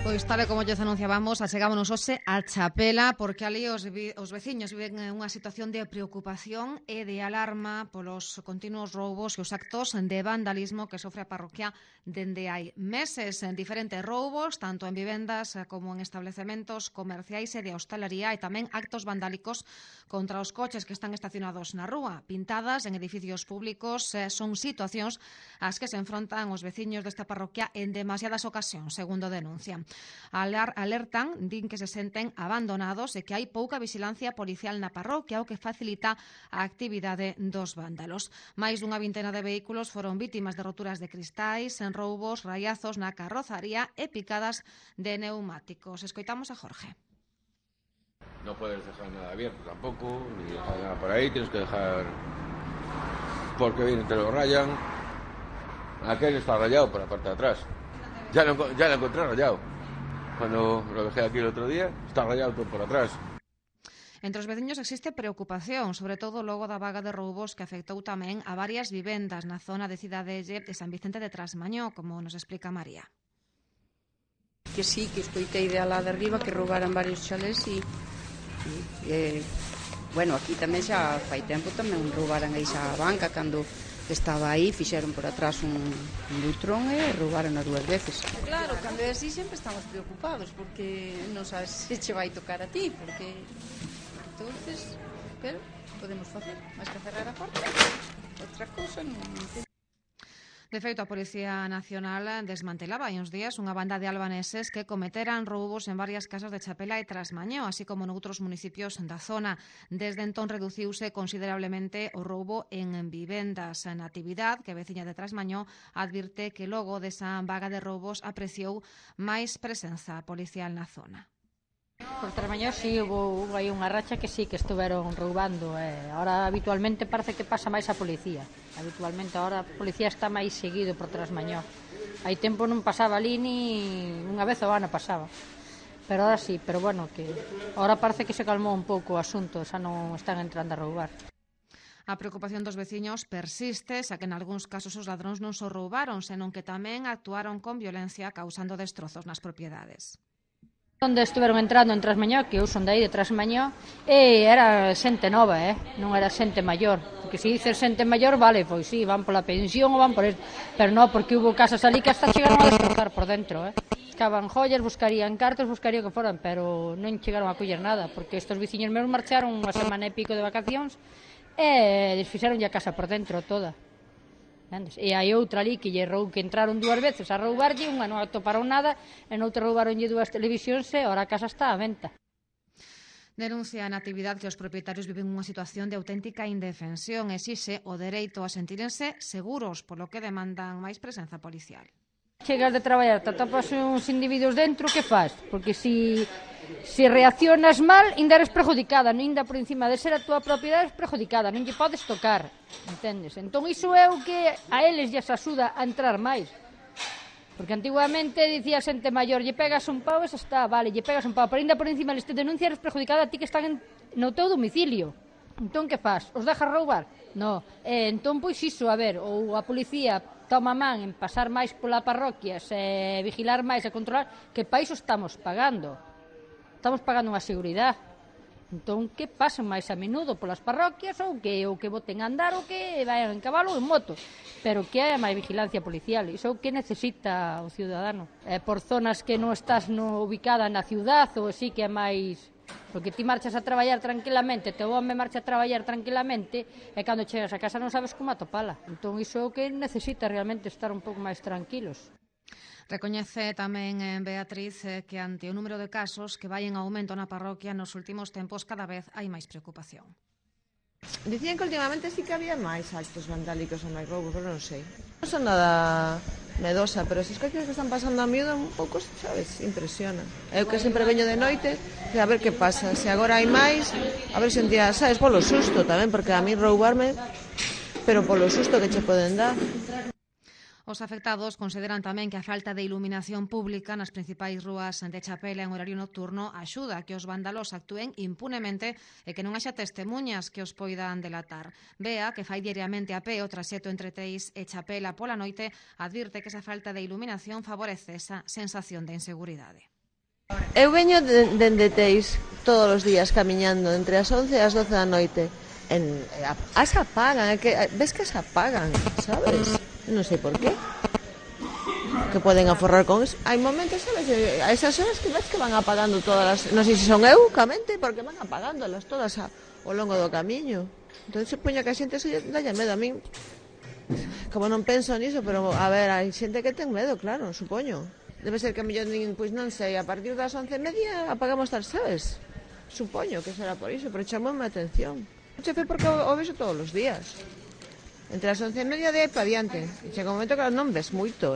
Pois tal e como lles anunciábamos, achegámonos hoxe a Chapela, porque ali os veciños viven unha situación de preocupación e de alarma polos continuos roubos e os actos de vandalismo que sofre a parroquia dende hai meses. En diferentes roubos, tanto en vivendas como en establecementos comerciais e de hostalería, e tamén actos vandálicos contra os coches que están estacionados na rúa. Pintadas en edificios públicos, son situacións ás que se enfrontan os veciños desta parroquia en demasiadas ocasións, segundo denuncian. Alertan, din que se senten abandonados e que hai pouca vigilancia policial na parroquia, o que facilita a actividade dos vándalos. Máis dunha vintena de vehículos foron vítimas de roturas de cristais, en roubos, raiazos na carrozaría e picadas de neumáticos. Escoitamos a Jorge. No puedes dejar nada abierto tampoco, ni dejar nada por ahí, tienes que dejar porque vienen, te lo rayan. Aquel está rayado por la parte de atrás. Ya lo encontré rayado. Cuando lo dejé aquí el otro día, está rayado todo por atrás. Entre os veciños existe preocupación, sobre todo logo da vaga de roubos que afectou tamén a varias vivendas na zona de Cidadelle de San Vicente de Trasmañó, como nos explica María. Que sí, que escoitei de alá de arriba que roubaran varios chalés bueno, aquí tamén xa fai tempo tamén roubaran aí xa a banca cando estaba aí, fixeron por atrás un lutrón e roubaron as 2 veces. Claro, cando é así sempre estamos preocupados porque non sabes se che vai tocar a ti, porque entonces, pero podemos facer máis que cerrar a porta. Outra cousa non sei. De feito, a Policía Nacional desmantelaba hai uns días unha banda de albaneses que cometeran roubos en varias casas de Chapela e Trasmañó, así como noutros municipios da zona. Desde entón reduciuse considerablemente o roubo en vivendas. A Natividad, que é veciña de Trasmañó, advirte que logo desa vaga de roubos apreciou máis presenza policial na zona. Por Trasmañó sí, hubo aí unha racha que sí que estuveron roubando. Ahora habitualmente parece que pasa máis a policía. Habitualmente ahora a policía está máis seguido por Trasmañó. Hai tempo non pasaba ali ni unha vez ao ano pasaba. Pero ahora sí, pero bueno, que ahora parece que se calmou un pouco o asunto, xa non están entrando a roubar. A preocupación dos veciños persiste, xa que en algúns casos os ladróns non só roubaron, senón que tamén actuaron con violencia causando destrozos nas propiedades. Onde estuveron entrando en Trasmañó, que eu son de aí de Trasmañó, e era xente nova, non era xente maior. Porque se dices xente maior, vale, pois sí, van pola pensión ou van por esto. Pero non, porque hubo casas ali que hasta chegaron a destrozar por dentro, Buscaban joyas, buscarían cartos, buscarían que foran, pero non chegaron a coller nada, porque estos veciños meus marcharon unha semana e pico de vacacións e desfixeron a casa por dentro toda. E hai outra ali que entraron 2 veces a roubarlle, unha non atoparon nada e noutra roubaronlle 2 televisións e ahora a casa está á venta. Denuncia a Natividad que os propietarios viven unha situación de auténtica indefensión e exixe o dereito a sentírense seguros, polo que demandan máis presenza policial. Chegas de traballar, te atopas uns individuos dentro, que faz? Porque se reaccionas mal, ainda eres perjudicada, ainda por encima de ser a túa propiedade eres perjudicada, non lle podes tocar, entendes? Entón iso é o que a eles lles axuda a entrar máis. Porque antiguamente dicía xente maior, lle pegas un pau e xa está, vale, lle pegas un pau, pero ainda por encima eles te denuncian, eres perjudicada a ti que están no teu domicilio. Entón que faz? Os deixas roubar? Non. Entón, pois iso, a ver, ou a policía toma man en pasar máis pola parroquia, vigilar máis e controlar, que pa iso estamos pagando. Estamos pagando unha seguridade. Entón, que pasen máis a menudo polas parroquias ou que boten a andar ou que vayan en cabalo ou en moto. Pero que haya máis vigilancia policial. Iso é o que necesita o ciudadano. Por zonas que non estás ubicada na ciudad ou así que é máis... Porque ti marchas a traballar tranquilamente, teu home marcha a traballar tranquilamente e cando chegas a casa non sabes como atopala. Entón, iso é o que necesita realmente estar un pouco máis tranquilos. Recoñece tamén Beatriz que ante o número de casos que vai en aumento na parroquia nos últimos tempos cada vez hai máis preocupación. Dicían que últimamente sí que había máis actos vandálicos ou máis roubos, pero non sei. Non son nada medosa, pero esas cousas que están pasando a miúdo un pouco, sabes, impresiona. Eu que sempre veño de noite, a ver que pasa. Se agora hai máis, a ver se un día, sabes, polo susto tamén, porque a mí roubarme, pero polo susto que che poden dar. Os afectados consideran tamén que a falta de iluminación pública nas principais rúas de Chapela en horario nocturno axuda a que os vándalos actúen impunemente e que non haxa testemunhas que os poidan delatar. Bea, que fai diariamente a pé o traxecto entre Teis e Chapela pola noite, advirte que esa falta de iluminación favorece esa sensación de inseguridade. Eu veño dende Teis todos os días camiñando entre as 11 e as 12 da noite. As apagan, ves que as apagan, sabes? Non sei por qué. Que poden aforrar con eso. Hai momentos, sabes, a esas horas que ves que van apagando todas as... Non sei se son eu, camente, porque van apagándolas todas ao longo do camiño. Entón, supoño que a xente se dalle medo a min. Como non penso niso, pero, a ver, hai xente que ten medo, claro, supoño. Debe ser que a mellor pois non sei, a partir das 11:30 apagamos tal, sabes? Supoño que será por iso, pero chamoume a atención. O chefe porque o vexo todos os días. Entre as 11:30 de aí para diante. E chega un momento que non ves moito,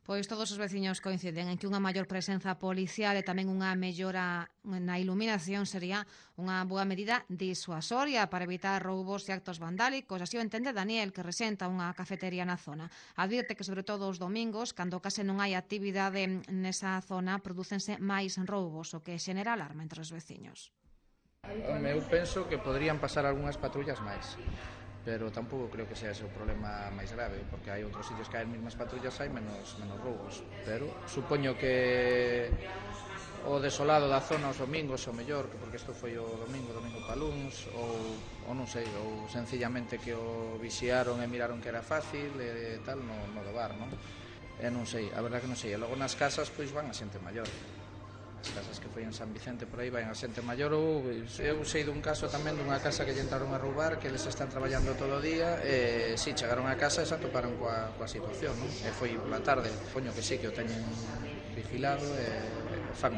Pois todos os veciños coinciden en que unha maior presenza policial e tamén unha mellora na iluminación sería unha boa medida disuasoria para evitar roubos e actos vandálicos. Así o entende Daniel, que resenta unha cafetería na zona. Advirte que sobre todo os domingos, cando case non hai actividade nesa zona, prodúcense máis roubos, o que xenera alarma entre os veciños. Eu penso que podrían pasar algunhas patrullas máis, pero tampouco creo que sea ese o problema máis grave, porque hai outros sitios que hai as mesmas patrullas, hai menos roubos, pero supoño que o desolado da zona os domingos o mellor, porque isto foi o domingo paluns, ou non sei, ou sencillamente que o vixiaron e miraron que era fácil e tal, no do bar, non? E non sei, a verdad que non sei, e logo nas casas pois van a xente maior. As casas que foi en San Vicente por aí vai a xente maior. Eu sei dun caso tamén dunha casa que lle entraron a roubar, que eles están traballando todo o día e si chegaron a casa e se atoparon coa situación, non? E foi pola tarde, poño que sí, que o teñen vigilado e fan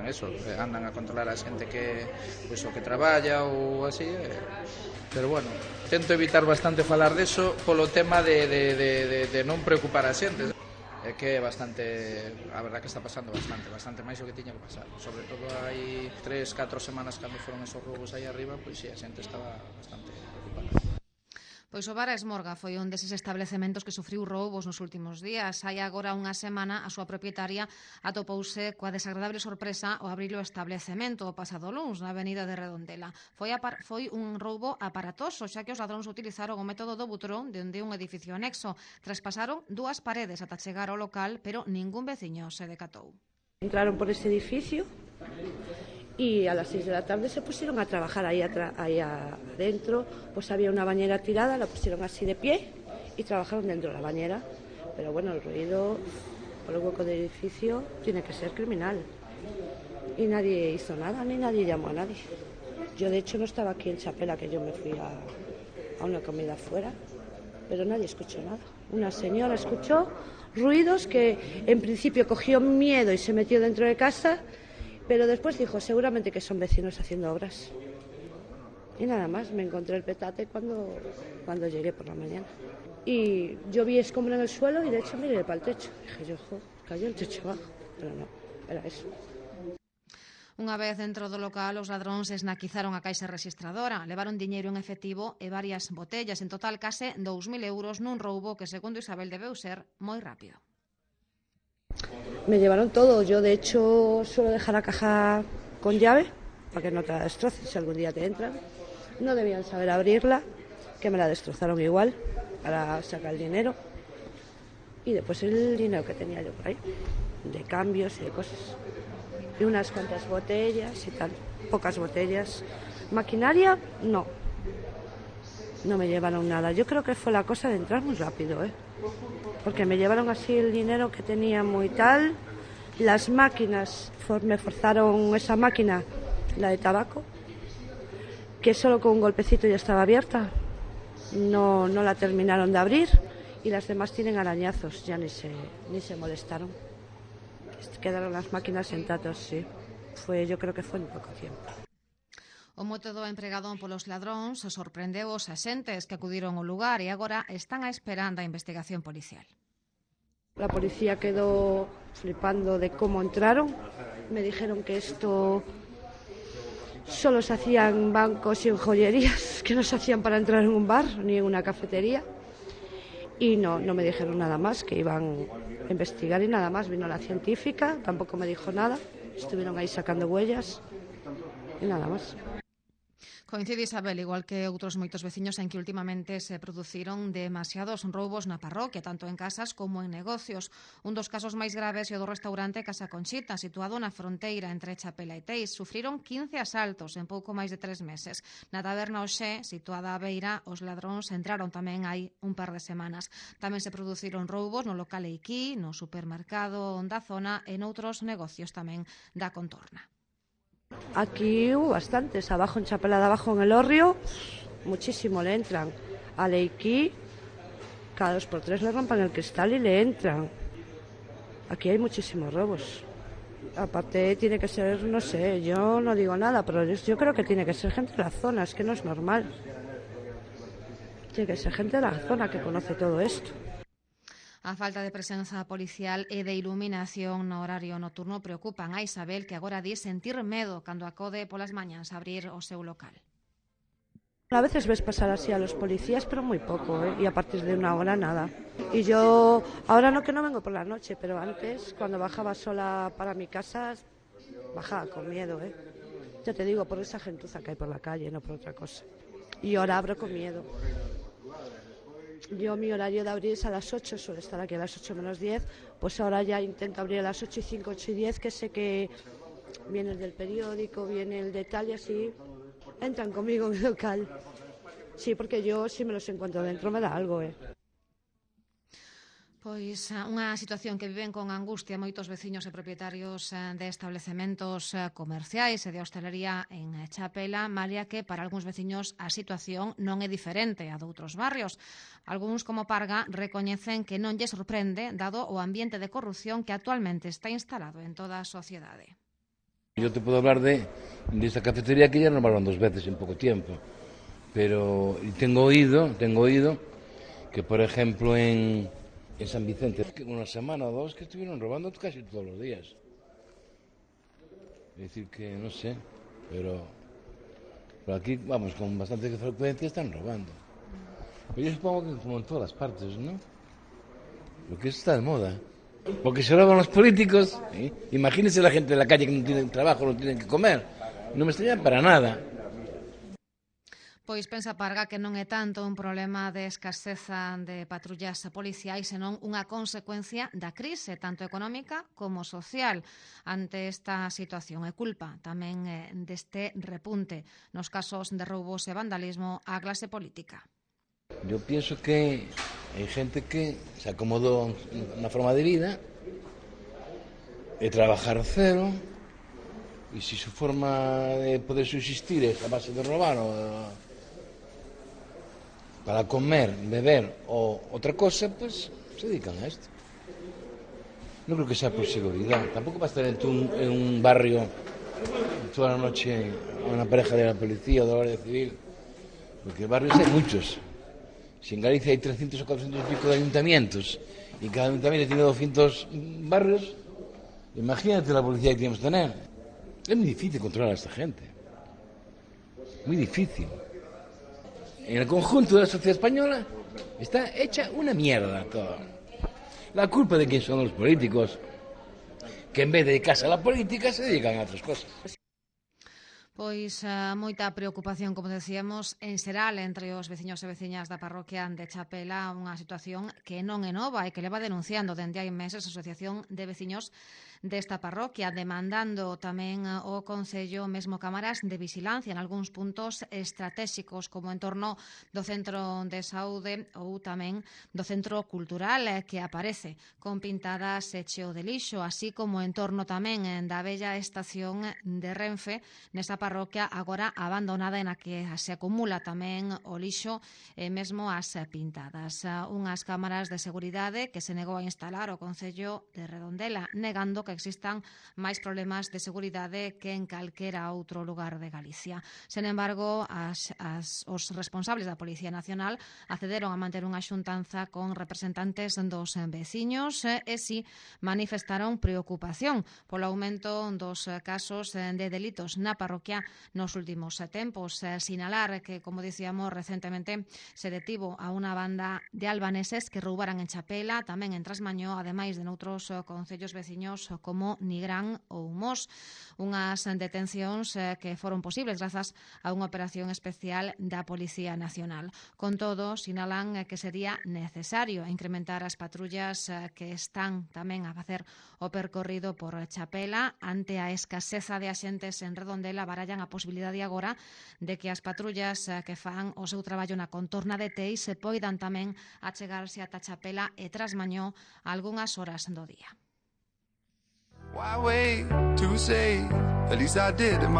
eso, andan a controlar a xente que pois o que traballa ou así, pero bueno, tento evitar bastante falar deso polo tema de non preocupar a xente. É que é bastante, a verdad que está pasando bastante máis o que tiña que pasar. Sobre todo hai 3-4 semanas cando foron esos roubos aí arriba, pois si, a xente estaba bastante preocupada. Pois o Bar Esmorga foi un deses establecementos que sufriu roubos nos últimos días. Hai agora unha semana a súa propietaria atopouse coa desagradable sorpresa ao abrir o establecemento o pasado luns na avenida de Redondela. Foi un roubo aparatoso, xa que os ladróns utilizaron o método do butrón dende un edificio anexo. Traspasaron 2 paredes ata chegar ao local, pero ningún veciño se decatou. Entraron por ese edificio y a las 6 de la tarde se pusieron a trabajar ahí adentro. Pues había una bañera tirada, la pusieron así de pie y trabajaron dentro de la bañera. Pero bueno, el ruido por el hueco del edificio tiene que ser criminal. Y nadie hizo nada, ni nadie llamó a nadie. Yo de hecho no estaba aquí en Chapela, que yo me fui a una comida afuera, pero nadie escuchó nada. Una señora escuchó ruidos que en principio cogió miedo y se metió dentro de casa, pero después dijo, seguramente que son vecinos haciendo obras. Y nada más, me encontré el petate cuando llegué por la mañana. Y yo vi escombro en el suelo y de hecho miré para el techo. Dije yo, cayó el techo abajo, pero no, era eso. Unha vez dentro do local, os ladróns esnaquizaron a caixa registradora, levaron diñeiro en efectivo e varias botellas, en total case 2.000 euros nun roubo que, segundo Isabel, debeu ser moi rápido. Me llevaron todo. Yo de hecho suelo dejar la caja con llave para que no te la destroces si algún día te entran. No debían saber abrirla, que me la destrozaron igual para sacar el dinero. Y después el dinero que tenía yo por ahí, de cambios y de cosas. Y unas cuantas botellas y tal, pocas botellas. Maquinaria, no. No me llevaron nada. Yo creo que fue la cosa de entrar muy rápido, porque me llevaron así el dinero que tenía muy tal. Las máquinas, me forzaron esa máquina, la de tabaco, que solo con un golpecito ya estaba abierta. No la terminaron de abrir y las demás tienen arañazos, ya ni se molestaron. Quedaron las máquinas intactas, sí. Yo creo que fue en poco tiempo. O método empregado polos ladróns sorprendeu os axentes que acudiron ao lugar e agora están a esperando a investigación policial. La policía quedó flipando de cómo entraron. Me dijeron que esto solo se hacía en bancos y en joyerías, que no se hacían para entrar en un bar ni en una cafetería. y no me dijeron nada más, que iban a investigar y nada más. Vino la científica, tampoco me dijo nada, estuvieron ahí sacando huellas y nada más. Coincide, Isabel, igual que outros moitos veciños, en que últimamente se produciron demasiados roubos na parroquia, tanto en casas como en negocios. Un dos casos máis graves é o do restaurante Casa Conchita, situado na fronteira entre Chapela e Teis. Sufriron 15 asaltos en pouco máis de 3 meses. Na taberna Oxé, situada á beira, os ladróns entraron tamén hai un par de semanas. Tamén se produciron roubos no local Eiquí, no supermercado da zona e noutros negocios tamén da contorna. Aquí hubo bastantes, abajo en Chapela de abajo en el Hórreo, muchísimo le entran. A Leiquí, cada 2 por 3 le rompan el cristal y le entran. Aquí hay muchísimos robos. Aparte tiene que ser, no sé, yo no digo nada, pero yo creo que tiene que ser gente de la zona, es que no es normal. Tiene que ser gente de la zona que conoce todo esto. A falta de presenza policial e de iluminación no horario nocturno preocupan a Isabel, que agora di sentir medo cando acode polas mañans a abrir o seu local. A veces ves pasar así a los policías, pero muy poco, y a partir de 1 hora nada. Y yo, ahora no, que no vengo por la noche, pero antes, cuando bajaba sola para mi casa, bajaba con miedo, Ya te digo, por esa gentuza que hay por la calle, no por otra cosa. Y ahora abro con miedo. Yo mi horario de abrir es a las 8, suele estar aquí a las 8 menos 10, pues ahora ya intento abrir a las 8 y 5, 8 y 10, que sé que viene el del periódico, viene el de tal y así, entran conmigo en el local. Sí, porque yo si me los encuentro dentro me da algo, Pois unha situación que viven con angustia moitos veciños e propietarios de establecementos comerciais e de hostelería en Chapela, Malia, que para algúns veciños a situación non é diferente a doutros barrios. Algúns, como Parga, recoñecen que non lle sorprende dado o ambiente de corrupción que actualmente está instalado en toda a sociedade. Yo te puedo hablar de esta cafetería que ya renovaron 2 veces en poco tiempo, pero tengo oído que, por ejemplo, en San Vicente, una semana o 2 que estuvieron robando casi todos los días. Es decir que, no sé, pero aquí, vamos, con bastante frecuencia están robando. Pero yo supongo que como en todas las partes, ¿no? Lo que está de moda. Porque se roban los políticos, imagínense la gente de la calle que no tienen trabajo, no tienen que comer. No me extraña para nada. Pois pensa Parga que non é tanto un problema de escaseza de patrullas policiais, senón unha consecuencia da crise, tanto económica como social. Ante esta situación é culpa tamén deste repunte nos casos de roubos e vandalismo á clase política. Yo pienso que hai gente que se acomodou na forma de vida e trabajar cero, e se su forma de poder subsistir é a base de robar o para comer, beber o otra cosa, pues se dedican a esto. No creo que sea por seguridad. Tampoco va a estar en un barrio toda la noche una pareja de la policía o de la Guardia Civil, porque barrios hay muchos. Si en Galicia hay 300 o 400 y pico de ayuntamientos y cada ayuntamiento tiene 200 barrios, imagínate la policía que tenemos que tener. Es muy difícil controlar a esta gente. Muy difícil. En el conjunto de la sociedad española está hecha una mierda todo. La culpa de quién son los políticos, que en vez de dedicarse a la política se dedican a otras cosas. Pois moita preocupación, como decíamos, en xeral entre os veciños e veciñas da parroquia de Chapela, unha situación que non é nova e que leva denunciando dende hai meses a Asociación de Veciños desta parroquia, demandando tamén o Concello mesmo cámaras de vigilancia en algúns puntos estratégicos, como en torno do Centro de Saúde ou tamén do Centro Cultural, que aparece con pintadas e cheo de lixo, así como en torno tamén da bella estación de Renfe, nesa parroquia agora abandonada, en a que se acumula tamén o lixo e mesmo as pintadas. Unhas cámaras de seguridade que se negou a instalar o Concello de Redondela, negando que existan máis problemas de seguridade que en calquera outro lugar de Galicia. Sen embargo, os responsables da Policía Nacional accederon a manter unha xuntanza con representantes dos veciños e si manifestaron preocupación polo aumento dos casos de delitos na parroquia parroquia nos últimos tempos. Sinalar que, como dicíamos, recentemente se detivo a unha banda de albaneses que roubaran en Chapela, tamén en Trasmañó, ademais de noutros concellos veciños como Nigrán ou Mos. Unhas detencións que foron posibles grazas a unha operación especial da Policía Nacional. Con todo, sinalan que sería necesario incrementar as patrullas que están tamén a facer o percorrido por Chapela. Ante a escaseza de axentes en Redondela, barallan a posibilidade agora de que as patrullas que fan o seu traballo na contorna de Teis se poidan tamén achegarse ata Chapela e Trasmañó algunhas horas do día.